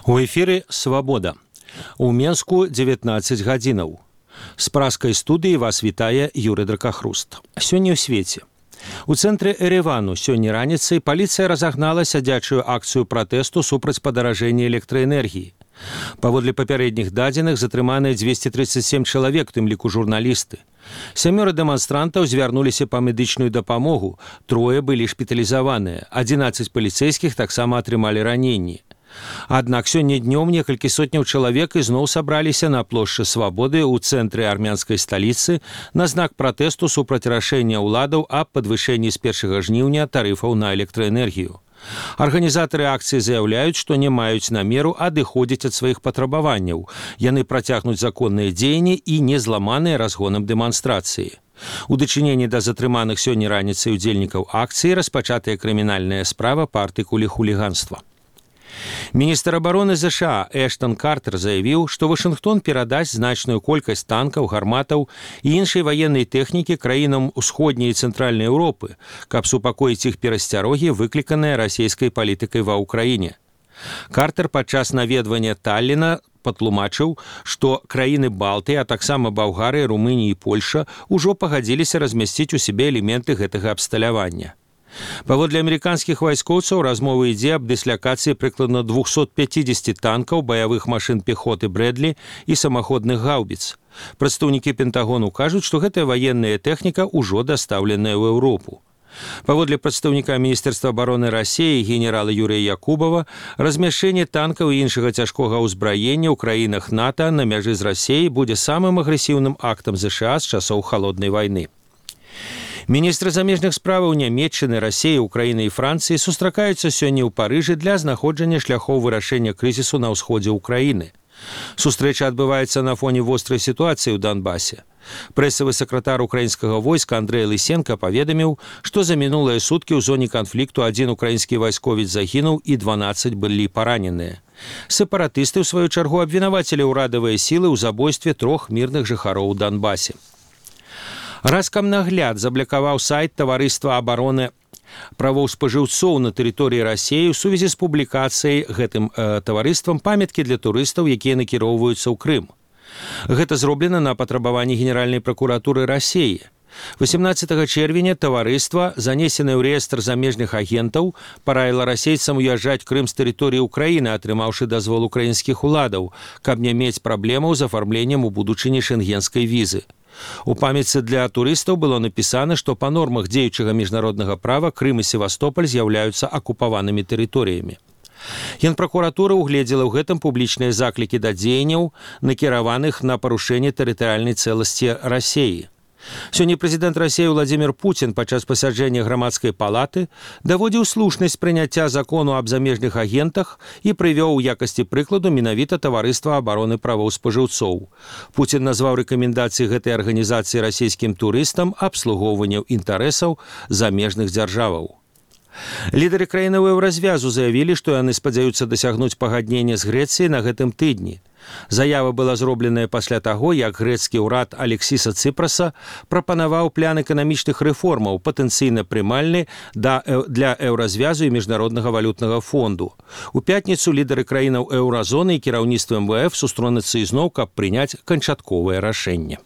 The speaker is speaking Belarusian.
У эфіры «Свабода». У Менску 19 гадзінаў. З праскай студыі вас вітае Юрый Дракахруст. Сёння ў свеце. У цэнтры Эревану сёння раніцай паліцыя разагнала сядзячую акцыю пратэсту супраць падаражэння электраэнергіі. Паводле папярэдніх дадзеных затрыманыя 237 чалавек, тым ліку журналісты. 7 дэманстрантаў звярнуліся па медычную дапамогу, 3 былі шпіталізаваныя, 11 паліцэйскіх таксама атрымалі раненні. Аднак сёння днём некалькі сотняў чалавек ізноў сабраліся на плошчы Свабоды ў цэнтры армянскай сталіцы на знак пратэсту супраць рашэння ўладаў аб падвышэнні з 1 жніўня тарыфаў на электраэнергію. Арганізатары акцыі заяўляюць, што не маюць намеру адыходзіць ад сваіх патрабаванняў. Яны працягнуць законныя дзеянні і не зламаныя разгонам дэманстрацыі. У дачыненні да затрыманых сёння раніцай удзельнікаў акцыі распачатая крымінальная справа па артыкуле хуліганства. Міністр абароны ЗША Эштон Картер заявіў, што Вашынгтон перадасць значную колькасць танкаў, гарматаў і іншай ваеннай тэхнікі краінам усходняй і цэнтральнай Еўропы, каб супакоіць іх перасцярогі, выкліканыя расійскай палітыкай ва ўкраіне. Картер падчас наведвання Талліна патлумачыў, што краіны Балтыі, а таксама Балгарыя, Румынія і Польша ўжо пагадзіліся размясціць у сябе элементы гэтага абсталявання. Паводле амерыканскіх вайскоўцаў размова ідзе аб дыслякацыі прыкладна 250 танкаў, баявых машын пехоты Брэдлі і самаходных гаўбіц. Прадстаўнікі Пентагону кажуць, што гэтая ваенная тэхніка ўжо дастаўленая ў Еўропу. Паводле прадстаўніка Міністэрства абароны Расіі генерала Юрыя Якубава, размяшчэнне танкаў і іншага цяжкога ўзбраення ў краінах НАТО на мяжы з Расіяй будзе самым агрэсіўным актам ЗША з часоў халоднай вайны. Міністры замежных справаў Нямецчыны, Расіі, Украіны і Францыі сустракаюцца сёння ў Парыжы для знаходжання шляхоў вырашэння крызісу на ўсходзе ўкраіны. Сустрэча адбываецца на фоне вострай сітуацыі ў Донбасе. Прэсавы сакратар украінскага войска Андрэй Лысенка паведаміў, што за мінулыя суткі ў зоне канфлікту 1 украінскі вайсковец загінуў і 12 былі параненыя. Сепаратысты, ў сваю чаргу, абвінавацілі ўрадавыя сілы ў забойстве 3 мірных жыхароў у Донбасе. Раскамнагляд заблякаваў сайт таварыства абароны правоў спажыўцоў на тэрыторыі Расіі ў сувязі з публікацыяй гэтым таварыствам памяткі для турыстаў, якія накіроўваюцца ў Крым. Гэта зроблена на патрабаванні Генеральнай пракуратуры Расіі. 18 чэрвеня таварыства, занесенае ў рэестр замежных агентаў, параіла расейцам уязджаць Крым з тэрыторыі ўкраіны, атрымаўшы дазвол украінскіх уладаў, каб не мець праблемаў з афармленнем у будучыні шэнгенскай візы. У памяці для турыстаў было напісана, што па нормах дзеючага міжнароднага права Крым і Севастополь з'яўляюцца акупаванымі тэрыторыямі. Генпракуратура угледзела ў гэтым публічныя заклікі да дзеянняў, накіраваных на парушэнне тэрытарыяльнай цэласці Расіі. Сёння прэзідэнт Расіі Владзімір Пуцін падчас пасяджэння грамадскай палаты даводзіў слушнасць прыняцця закону аб замежных агентах і прывёў у якасці прыкладу менавіта таварыства абароны правоў спажыўцоў. Пуцін назваў рэкамендацыі гэтай арганізацыі расійскім турыстам абслугоўванню інтарэсаў замежных дзяржаваў. Лідары краінаў еўразвязу заявілі, што яны спадзяюцца дасягнуць пагаднення з Грэцыяй на гэтым тыдні. Заява была зробленая пасля таго, як грэцкі ўрад Алексіса Цыпраса прапанаваў план эканамічных рэформаў, патэнцыйна прымальны для еўразвязу і міжнароднага валютнага фонду. У пятніцу лідары краінаў еўразоны і кіраўніцтва МВФ сустронуцца ізноў, каб прыняць канчатковае рашэнне.